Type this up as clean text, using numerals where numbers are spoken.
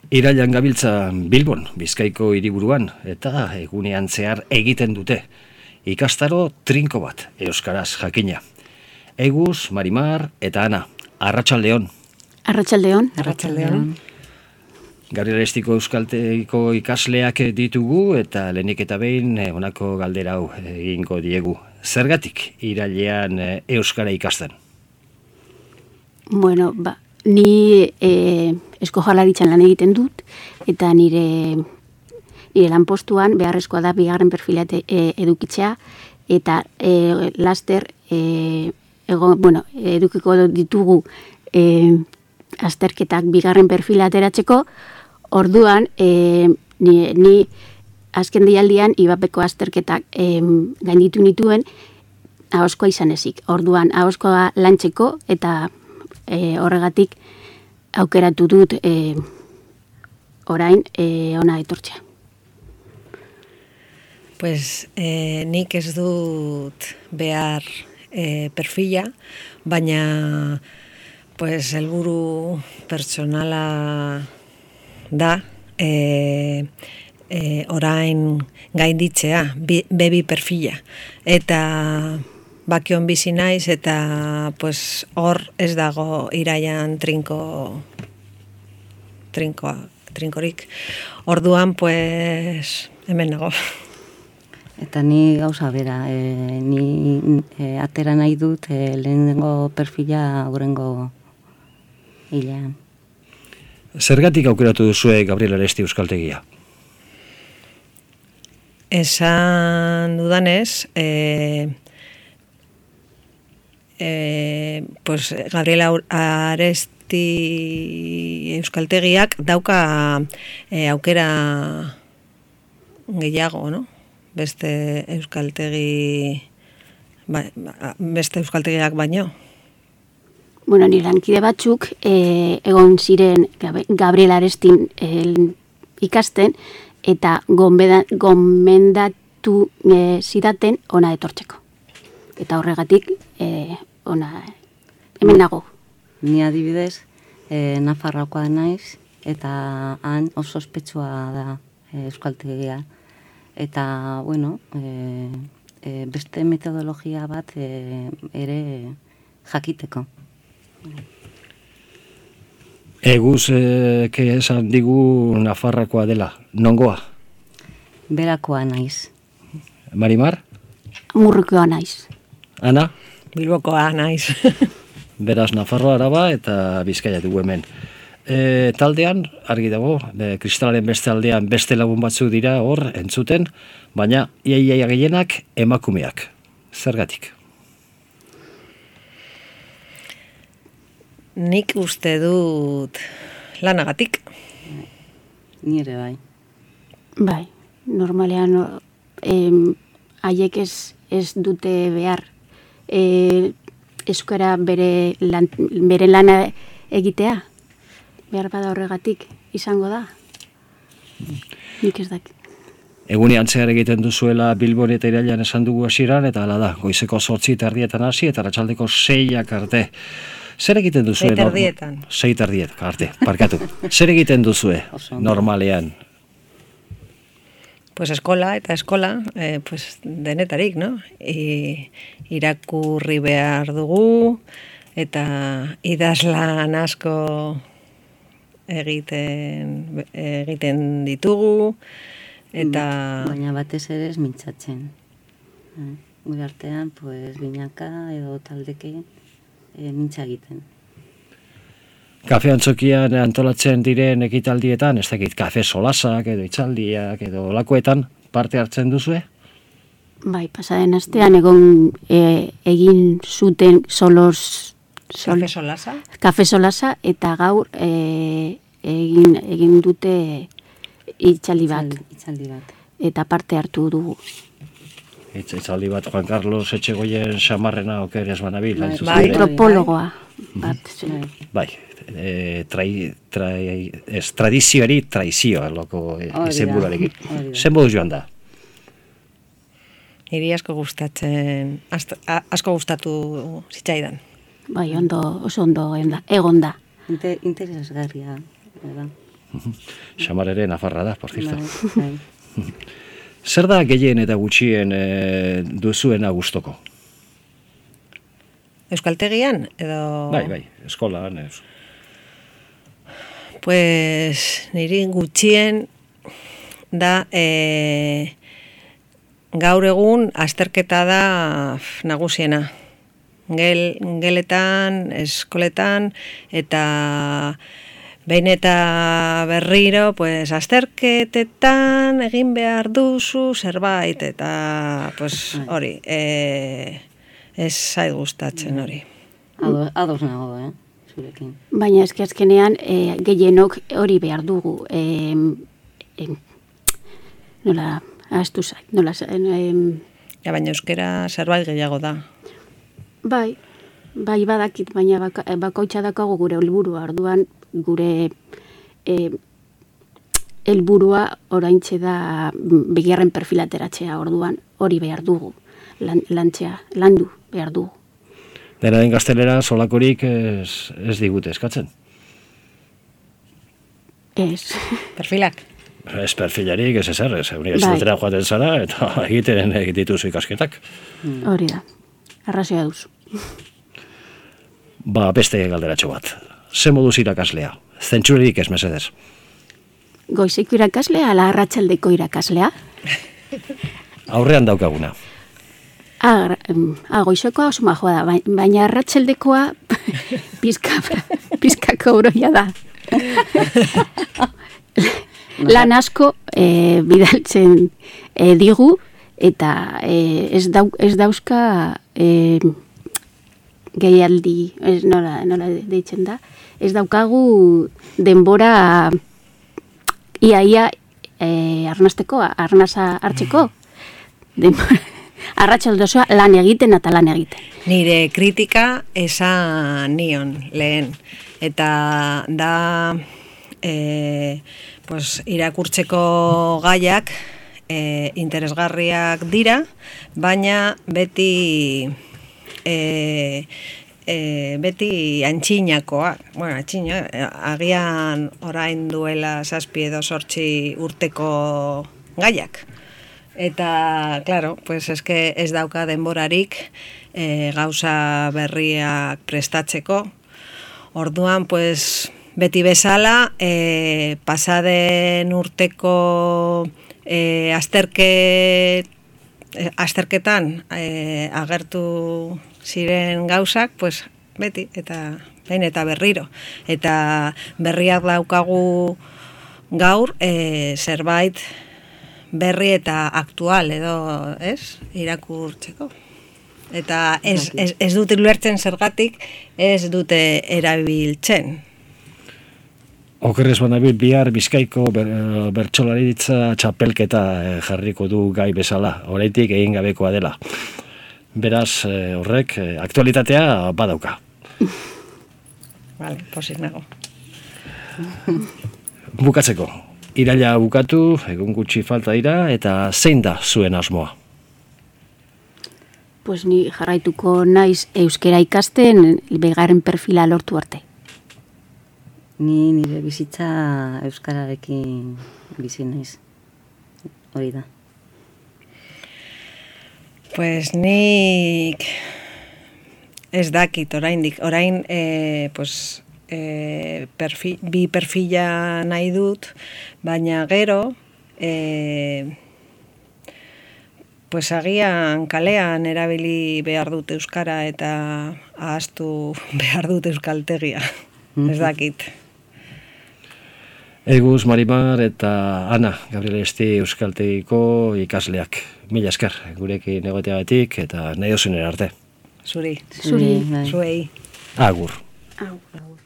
Irailan gabiltza Bilbon, Bizkaiko hiriburuan, eta egunean zehar egiten dute. Ikastaro trinko bat, euskaraz jakina. Eguz, Marimar eta Ana, arratsaldeon. Arratsaldeon. Arratsaldeon. Gabriel Arestiko euskaltegiko ikasleak ditugu eta lehenik eta behin honako galdera hau egingo diegu. Zergatik irailean euskara ikasten? Bueno, ni Eusko Jaurlaritzan lan egiten dut, eta nire lanpostuan beharrezkoa da bigarren perfila edukitzea, eta laster edukiko ditugu azterketak bigarren perfila ateratzeko. Orduan, ni azken deialdian IBAPeko azterketak gainditu nituen ahozkoa izan ezik. Orduan, ahozkoa lantzeko eta horregatik aukeratu dut orain ona etortzea. Pues nik ez dut behar perfila, baina pues helburu pertsonala da orain gainditzea bebi perfila. Eta bakion bizi naiz eta pues hor ez dago iraian trinkorik. Orduan pues hemen nago. Eta ni gauza bera, ni atera nahi dut lehenengo perfila aurrengo hilean. Zergatik aukeratu duzue Gabriel Aresti euskaltegia? Esan dudanez, pues Gabriel Aresti euskaltegiak dauka aukera gehiago, no? Beste euskaltegiak baino. Bueno, nire lankide batzuk egon ziren Gabriel Arestin ikasten, eta gomendatu zidaten ona etortzeko. Eta horregatik ona hemen nago. Ni adibidez, Nafarroakoa naiz, eta han oso ospetsua da euskaltegia. Eta, bueno, beste metodologia bat ere jakiteko. Eguz, esan digu Nafarroakoa dela, nongoa? Berakoa naiz. Marimar? Murrukoa naiz. Ana? Bilbokoa naiz. Beraz, Nafarroa, Araba eta Bizkaia dugu hemen. Taldean, argi dago, kristalaren beste aldean beste lagun batzuk dira hor entzuten, baina iaia gehienak emakumeak. Zergatik? Nik uste dut lanagatik. Nire bai. Bai, normalean haiek ez dute behar euskara bere lana egitea. Behar bada horregatik izango da. Nik ez dakit. Egunean zehar egiten duzuela Bilbon eta Irailan esan dugu hasieran, eta hala da, goizeko 8:30 hasi eta arratsaldeko 6 arte. Zer egiten duzue? 6:30 arte, parkatu. Zer egiten duzue normalean? Pues eskola, pues denetarik, no? Irakurri behar dugu, eta idazlan asko egiten ditugu, eta... Baina batez ere ez mintzatzen. Gure artean, pues, binaka edo taldeke mintza egiten. Kafe antzokian antolatzen diren ekitaldietan, ez dakit, kafe solasak edo itzaldiak edo lakoetan parte hartzen duzue? Bai, pasaden astean egin zuten kafe solasa, eta gaur egin dute itzaldi bat. Eta parte hartu dugu. Itzaldi bat Juan Carlos Etxegoien xamarrena oker ez banabil. Bai, antropologoa bat. Bai, tradizioari traizioa loko izenburarekin. Zen boduz joan da? Niri asko gustatu zitzaidan. Bai, oso ondo egon da. Interesgarria, da. Xamar ere nafarra da, por cierto. Zer da gehien eta gutxien duzuena gustoko? Euskaltegian, edo... Bai, eskolan. Pues niri gutxien da gaur egun azterketa da nagusiena. Geletan, eskoletan, eta behin eta berriro, pues, azterketetan egin behar duzu zerbait, eta pues, hori, ez zait gustatzen hori. Ados nago, zurekin. Baina azkenean gehienok hori behar dugu. Nola, ahaztu zait, nola... Baina euskera zerbait gehiago da. Bai badakit, baina bakoitza dakago gure helburua, orduan gure helburua oraintxe da bigarren perfilateratzea, orduan hori behar dugu, landu behar dugu. Dena den gaztelera solakorik ez digute eskatzen? Ez. Perfilak? Ez perfilarik, ez ezer, ez unibertsitatera joaten zara, eta egiten dituzu ikasketak. Hori da, arrazioa duzu. Beste galderatxo bat. Ze moduz irakaslea? Zentsurerik ez, mesedez? Goizeko irakaslea, ala arratsaldeko irakaslea? Aurrean daukaguna. Goizekoa oso majoa da, baina arratsaldekoa pizkako broia da. Lan asko bidaltzen digu, eta ez dauzka gehialdi, nola deitzen da, ez daukagu denbora ia arnasa hartzeko, arratsaldozoa lan egiten eta lan egiten. Nire kritika esan nion lehen, eta da irakurtzeko gaiak interesgarriak dira, baina beti antxinakoak. Bueno, agian orain duela 7 edo 8 urteko gaiak. Eta, claro, pues eske ez dauka denborarik gauza berriak prestatzeko. Orduan, pues, beti bezala, pasaden urteko azterketan agertu ziren gauzak, pues, beti, eta behin eta berriro. Eta berriak daukagu gaur, zerbait berri eta aktual edo, ez? Irakurtzeko. Eta ez dute ulertzen zergatik, ez dute erabiltzen. Okerrez banabil bihar Bizkaiko bertsolaritza txapelketa jarriko du gai bezala, oraindik egin gabekoa dela. Beraz, horrek aktualitatea badauka. Vale, posik nago. Bukatzeko, iraila bukatu, egun gutxi falta dira, eta zein da zuen asmoa? Pues ni jarraituko naiz euskera ikasten bigarren perfila lortu arte. Ni nire bizitza euskararekin bizi naiz. Hori da. Pues nik ez dakit oraindik. Orain bi perfila nahi dut, baina gero pues agian kalean erabili behar dut euskara eta ahaztu behar dut euskaltegia. Ez dakit. Eguz, Marimar eta Ana, Gabriel Esti euskaltegiko ikasleak. Mila esker, gurekin egoteagatik eta nahi dozunen arte. Zuri. Zuei. Zuei. Agur. Agur.